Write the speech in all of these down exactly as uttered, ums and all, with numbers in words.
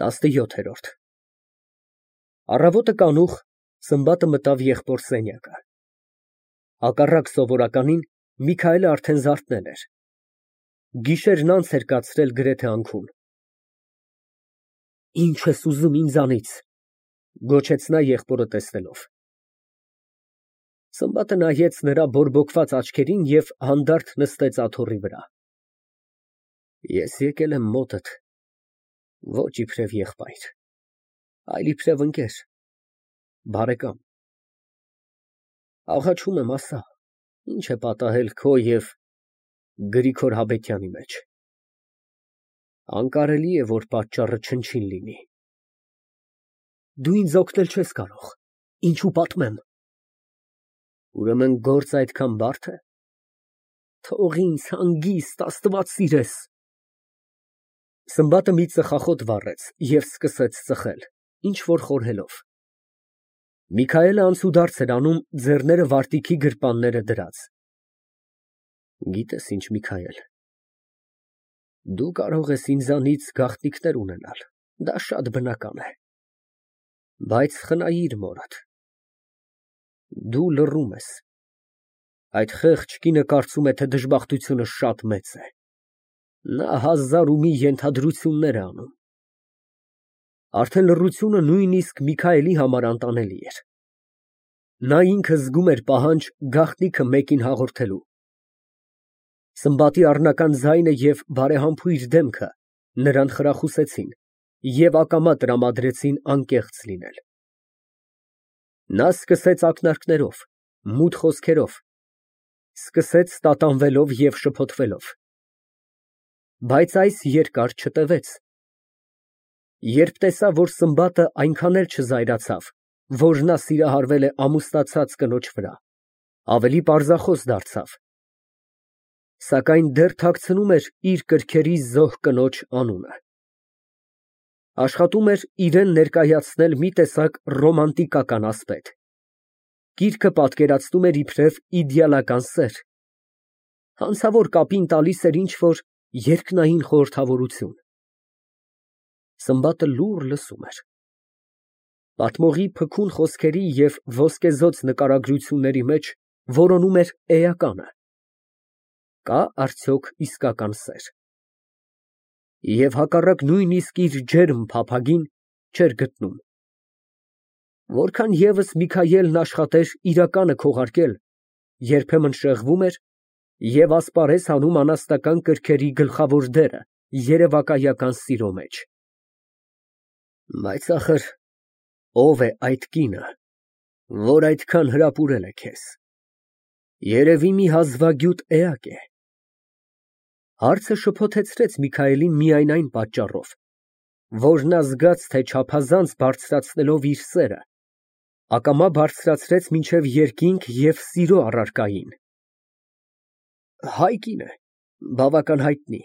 տասնյոթ։ Առավոտը կանուխ Սմբատը մտավ եղբոր սենյակը։ Հակառակ սովորականին, Միքայելը արդեն զարթնել էր։ Գիշերն անց էր կացրել գրեթե անքուն։ Ի՞նչ ես ուզում ինձանից, գոչեց նա եղբորը տեսնելով։ Սմբատը նայեց նրա բորբոքված աչքերին և հանդարտ նստեց աթոռի վրա։ Ես եկել եմ մոտդ, ոչ իբրև եղբայր, այլ իբրև ընկեր, բարեկամ։ Աղաչում եմ, ասա, ինչ է պատահել քո և Գրիգոր Հաբետյանի մեջ։ Անկարելի է, որ պատճառը չնչին լինի։ Դու ինձ օգնել չես կարող, ինչու պատմեմ։ Ուրեմն գործ այդքան բարդ է։ Թող ինձ հանգիստ, Աստված սիրես։ Սմբատը մի ծխախոտ վառեց և սկսեց ծխել, ինչ֊որ խորհելով։ Միքայելը անցուդարձ էր անում, ձեռները վարտիքի գրպանները դրած։ Գիտես ինչ, Միքայել, դու կարող ես ինձանից գաղտնիքներ ունենալ, դա շատ բնական է, բայց խնայիր մորդ։ Դու լռում ես։ Այդ խեղճ կինը կարծում է, թե դժբախտությունը շատ մեծ է։ Նա հազար ու մի ենթադրություններ է անում։ Արդեն լռությունը նույնիսկ Միքայելի համար անտանելի էր։ Նա ինքը զգում էր պահանջ գաղտնիքը մեկին հաղորդելու։ Սմբատի առնական ձայնը և բարեհամբույր դեմքը նրան խրախուսեցին և ակամա տրամադրեցին անկեղծ լինել։ Նա սկսեց ակնարկներով, մութ խոսքերով, սկսեց տատանվելով և շփոթվելով։ Բայց այս երկար չտևեց։ Երբ տեսավ, որ Սմբատը այնքան էլ չզայրացավ, որ նա սիրահարվել է ամուսնացած կնոջ վրա, ավելի պարզախոս դարձավ, սակայն դեռ թաքցնում էր իր կրքերի զոհ կնոջ անունը։ Աշխատում էր իրան ներկայացնել մի տեսակ ռոմանտիկական ասպետ։ Գիրքը պատկերացնում էր իբրև իդեալական սեր, հանցավոր կապին տալիս էր ինչ֊որ երկնային խորհրդավորություն։ Սմբատը լուռ լսում էր։ Պատմողի փքուն խոսքերի և ոսկեզօծ նկարագրությունների մեջ որոնում էր էականը։ Կա՞ արդյոք իսկական սեր։ Եվ հակառակ նույնիսկ իր ջերմ փափագին չէր գտնում։ Որքան ևս Միքայելն աշխատեր իրականը քողարկել, երբեմն շեղվում էր և ասպարեզ հանում անասնական կրքերի գլխավոր դերը երևակայական սիրո մեջ։ Բայց ախր ո՞վ է այդ կինը, որ այդքան հրապուրել է քեզ։ Երևի մի հազվագյուտ էակ է։ Հարցը շփոթեցրեց Միքայելին միայն այն պատճառով, որ նա զգաց, թե չափազանց բարձրացնելով իր սերը, ակամա բարձրացրեց մինչև երկինք և սիրո առարկային։ Հայ կին է, բավական հայտնի,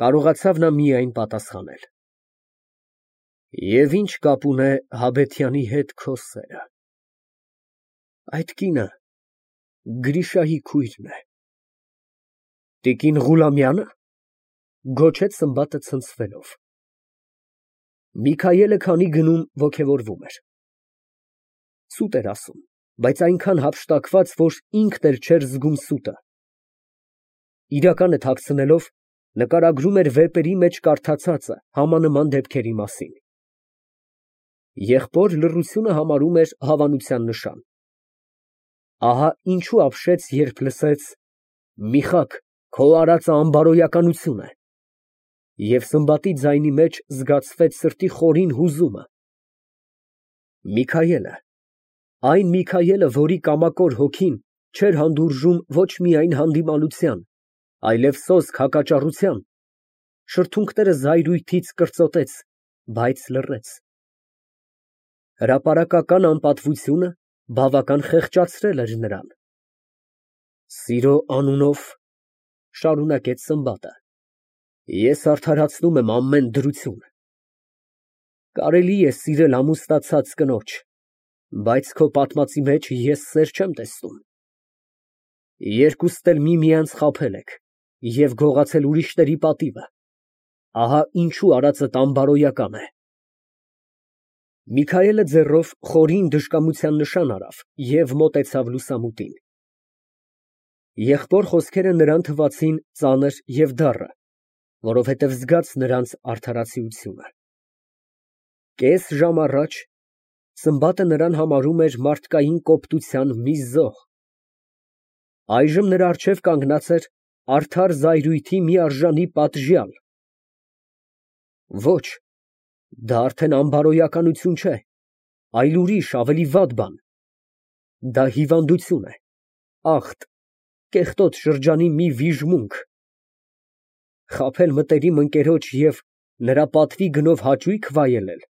կարողացավ նա միայն պատասխանել։ Եվ ի՞նչ կապ ունե Հաբետյանի հետ քո սերը։ Այդ կինը Գրիշայի քույրն է։ Տիկին Ղուլամյա՞նը, գոչեց Սմբատը ցնցվելով։ Միքայելը քանի գնում ոգևորվում էր։ Սուտ էր ասում, բայց այնքան հափշտակված, որ ինքն էլ չէր զգում սուտը։ Իրականը թաքցնելով, նկարագրում էր վեպերի մեջ կարդացածը համանման դեպքերի մասին։ Եղբոր լռությունը համարում էր հավանության նշան։ Ահա ինչու ապշեց, երբ լսեց. «Միխակ, քո արածը անբարոյականություն է», և Սմբատի ձայնի մեջ զգացվեց սրտի խորին հուզումը։ Միքայելը, այն Միքայելը, որի կամակոր հոգին չէր հանդուրժում ոչ միայն հանդիմանության, այլև սոսկ հակաճառության, շրթունքները զայրույթից կրծոտեց, բայց լռեց։ Հրապարակական անպատվությունը բավական խեղճացրել էր նրան։ Սիրո անունով, շարունակեց Սմբատը, ես արդարացնում եմ ամեն դրություն։ Կարելի է սիրել ամուսնացած կնոջ, բայց քո պատմածի մեջ ես սեր չեմ տեսնում։ Երկուստ էլ միմյանց խաբել եք և գողացել ուրիշների պատիվը, ահա ինչու արածդ անբարոյական է։ Միքայելը ձեռով խորին դժկամության նշան արավ և մոտեցավ լուսամուտին։ Եղբոր խոսքերը նրան թվացին ծանր և դառը, որովհետև զգաց նրանց արդարացիությունը։ Կես ժամ առաջ Սմբատը նրան համարում էր մարդկային կոպտության մի զոհ, այժմ նրա առջև կանգնած էր արդար զայրույթի մի արժանի պատժյալ։ Ոչ, դա արդեն անբարոյականություն չէ, այլ ուրիշ, ավելի վատ բան, դա հիվանդություն է, ախտ, կեղտոտ շրջանի մի վիժմունք։ Խաբել մտերիմ ընկերոջ և նրա պատվի գնով հաճույք վայելել,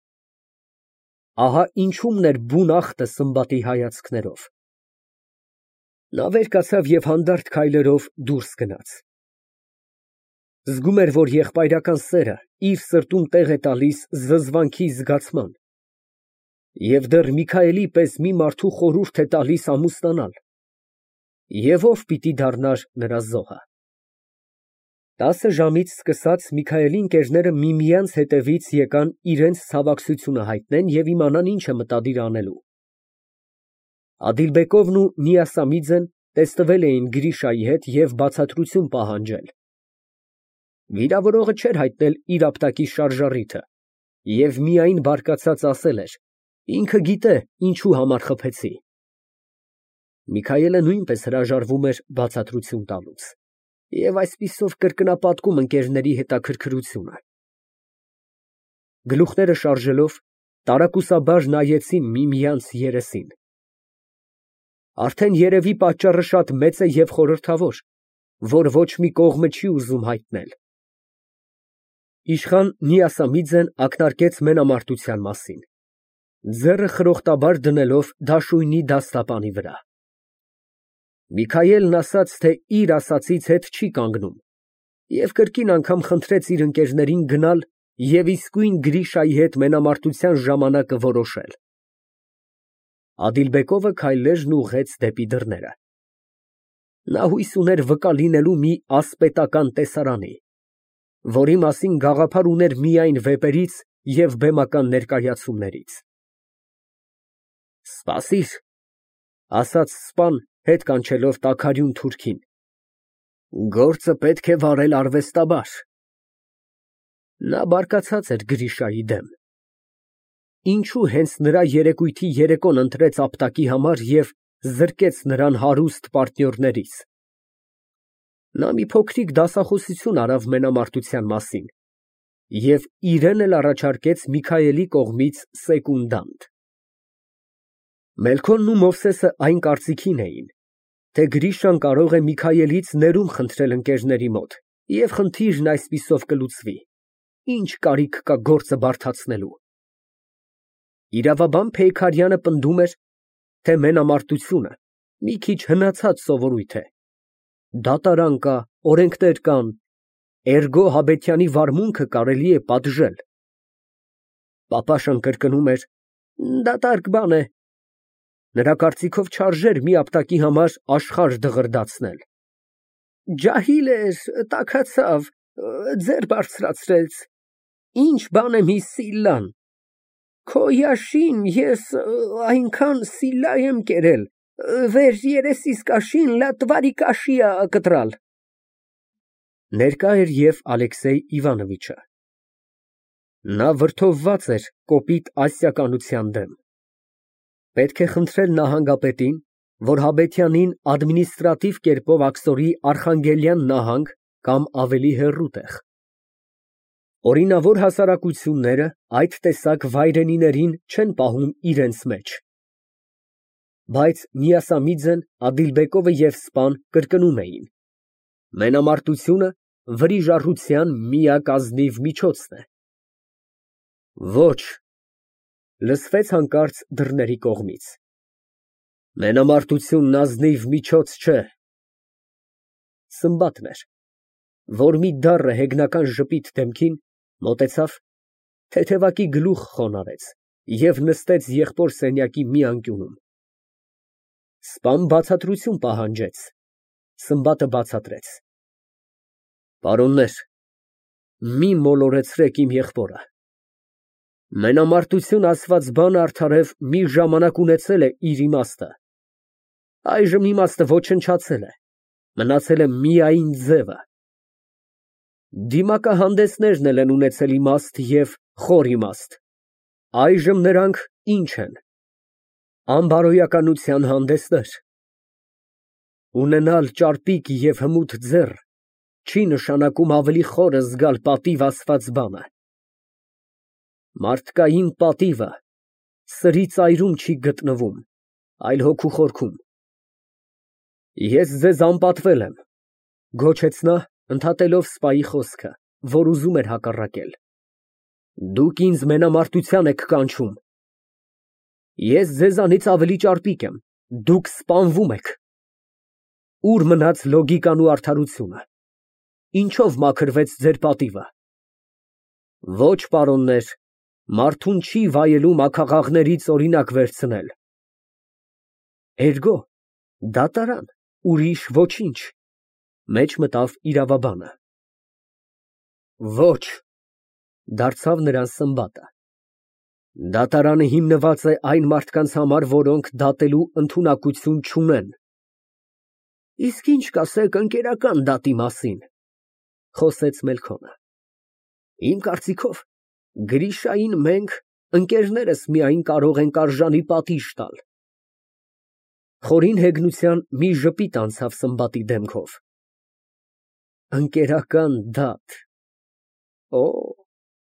ահա ինչումն էր բուն ախտը Սմբատի հայացքներով։ Նա վեր կացավ և հանդարտ քայլերով դուրս գնաց։ Զգում էր, որ եղբայրական սերը իր սրտում տեղ է տալիս զզվանքի զգացման և դեռ Միքայելի պես մի մարդու խորհուրդ է տալիս ամուսնանալ, և ո՞վ պիտի դառնար նրա զոհը։ Տասը ժամից սկսած Միքայելի ընկերները միմյանց հետևից եկան իրենց ցավակցությունը հայտնեն և իմանան ինչ է մտադիր անելու։ Ադիլբեկովն ու Նիասամիձեն տեսնվել էին Գրիշայի հետ և բացատրություն պահանջել։ Վիրավորողը չէր հայտնել իր ապտակի շարժառիթը և միայն բարկացած ասել էր. «Ինքը գիտե ինչի համար խփեցի»։ Միքայելը նույնպես հրաժարվում էր բացատրություն տալուց և այսպիսով կրկնապատկում ընկերների հետաքրքրությունը։ Գլուխները շարժելով, տարակուսաբար նայեցին միմյանց երեսին։ Արդեն երևի պատճառը շատ մեծ է և խորհրդավոր, որ ոչ մի կողմը չի ուզում հայտնել։ Իշխան Նիասամիձեն ակնարկեց մենամարտության մասին, ձեռը խրոխտաբար դնելով դաշույնի դաստապանի վրա։ Միքայելն ասաց, թե իր ասածից հետ չի կանգնում և կրկին անգամ խնդրեց իր ընկերներին գնալ և իսկույն Գրիշայի հետ մենամարտության ժամանակը որոշել։ Ադիլբեկովը քայլերն ուղղեց դեպի դռները։ Նա հույս ուներ վկա լինելու մի ասպետական տեսարանի, որի մասին գաղափար ուներ միայն վեպերից և բեմական ներկայացումներից։ Սպասիր, ֊ ասաց սպան, հետ կանչելով տաքարյուն թուրքին, ֊ գործը պետք է վարել արվեստաբար։ Նա բարկացած էր Գրիշայի դեմ։ Ինչո՞ւ հենց նրա երեկույթի երեկոն ընտրեց ապտակի համար և զրկեց նրան հարուստ պարտնյորներից։ Նա մի փոքրիկ դասախոսություն արավ մենամարտության մասին և իրեն էլ առաջարկեց Միքայելի կողմից սեկունդանտ։ Մելքոնն ու Մովսեսը այն կարծիքին էին, թե Գրիշան կարող է Միքայելից ներումն խնդրել ընկերների մոտ և խնդիրն այսպիսով կլուծվի, ինչ կարիք կա գործը բարդացնելու։ Իրավաբան Փեյքարյանը պնդում էր, թե մենամարտությունը մի քիչ հնացած սովորույթ է, դատարան կա, օրենքներ կան, էրգո Հաբետյանի վարմունքը կարելի է պատժել։ Պապաշան կրկնում էր. «Դատարկ բան է»։ Նրա կարծիքով չարժեր մի ապտակի համար աշխարհ դղրդացնել։ Ջահիլ էր, տաքացավ, ձեռ բարձրացրեց, ինչ բան է մի Սիլլան։ Քո Յաշին ես այնքան Սիլլա եմ կերել, վեր երեսիս կաշին լատվարի կաշիա կտրալ։ Ներկա էր և Ալեքսեյ Իվանովիչը։ Նա վրդովված էր կոպիտ ասիականության դեմ։ Պետք է խնդրել նահանգապետին, որ Հաբետյանին ադմինիստրատիվ կերպով աքսորի Արխանգելյան նահանգ կամ ավելի հեռու տեղ։ Օրինավոր հասարակությունները այդ տեսակ վայրենիներին չեն պահում իրենց մեջ։ Բայց Նիասամիձեն, Ադիլբեկովը և սպան կրկնում էին. մենամարտությունը վրիժառության միակ ազնիվ միջոցն է։ Ոչ, լսվեց հանկարծ դռների կողմից, մենամարտությունն ազնիվ միջոց չէ։ Սմբատն էր, որ մի դառը հեգնական ժպիտ դեմքին մոտեցավ, թեթևակի գլուխ խոնարհեց և նստեց եղբոր սենյակի մի անկյունում։ Սպան բացատրություն պահանջեց։ Սմբատը բացատրեց. Պարոններ, մի մոլորեցրեք իմ եղբորը։ Մենամարտություն ասված բանը արդարև մի ժամանակ ունեցել է իր իմաստը, այժմ իմաստը ոչնչացել է, մնացել է միայն ձևը։ Դիմակահանդեսներն էլ են ունեցել իմաստ և խոր իմաստ, այժմ նրանք ինչ են, անբարոյականության հանդեսներ։ Ունենալ ճարպիկ և հմուտ ձեռ չի նշանակում ավելի խորը զգալ պատիվ ասված բանը։ Մարդկային պատիվը սրի ծայրում չի գտնվում, այլ հոգու խորքում։ Ես ձեզ անպատվել եմ, գոչեց նա, ընդհատելով սպայի խոսքը, որ ուզում էր հակառակել։ Դուք ինձ մենամարտության եք կանչում։ Ես ձեզանից ավելի ճարպիկ եմ, դուք սպանվում եք։ Ուր մնաց լոգիկան ու արդարությունը, ինչով մաքրվեց ձեր պատիվը։ Ոչ, պարոններ, մարդուն չի վայելում աքաղաղներից օրինակ վերցնել։ Էրգո, դատարան, ուրիշ ոչինչ, մեջ մտավ իրավաբանը։ Ոչ, դարձավ նրան Սմբատը, դատարանը հիմնված է այն մարդկանց համար, որոնք դատելու ընդունակություն չունեն։ Իսկ ինչ կասեք ընկերական դատի մասին, խոսեց Մելքոնը։ Իմ կարծիքով, Գրիշային մենք, ընկերներս միայն կարող ենք արժանի պատիժ տալ։ Խորին հեգնության մի ժպիտ անցավ Սմբատի դեմքով։ Ընկերական դատ։ Օ,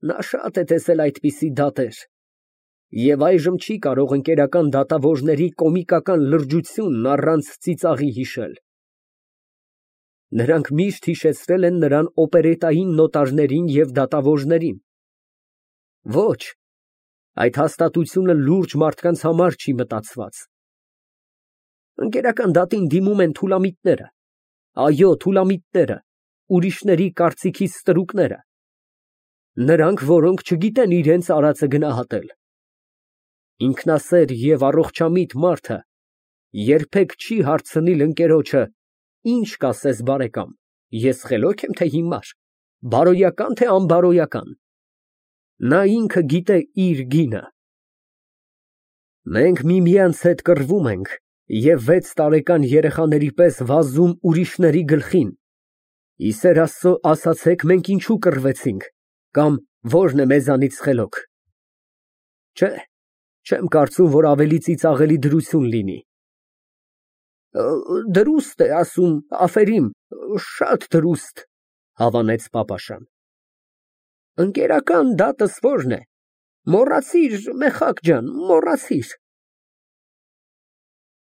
նա շատ է տեսել այդպիսի դատեր, և այժմ չի կարող ընկերական դատավորների կոմիկական լրջությունն առանց ծիծաղի հիշել։ Նրանք միշտ հիշեցրել են նրան օպերետային նոտարներին և դատավորներին։ Ոչ, այդ հաստատությունը լուրջ մարդկանց համար չի մտածված։ Ընկերական դատին դիմում են թուլամիտները, այո, թուլամիտները, ուրիշների կարծիքի ստրուկները, նրանք, որոնք չգիտեն իրենց արածը գնահատել։ Ինքնասեր և առողջամիտ մարդը երբեք չի հարցնիլ ընկերոջը. «Ինչ կասես, բարեկամ, ես խելոք եմ, թե հիմար, բարոյական, թե անբարոյական»։ Նա ինքը գիտե իր գինը։ Մենք միմյանց հետ կռվում ենք և վեց տարեկան երեխաների պես վազում ուրիշների գլխին։ Ի սեր Աստծո, ասացեք, մենք ինչու կռվեցինք, կամ ո՞րն է մեզանից խելոք։ Չէ, չեմ կարծում, որ ավելի ծիծաղելի դրություն լինի։ Դրուստ է ասում, աֆերիմ, շատ դրուստ, հավանեց պապաշան։ Ընկերական դատս ո՞րն է։ Մոռացիր, Մեխակ ջան, մոռացիր։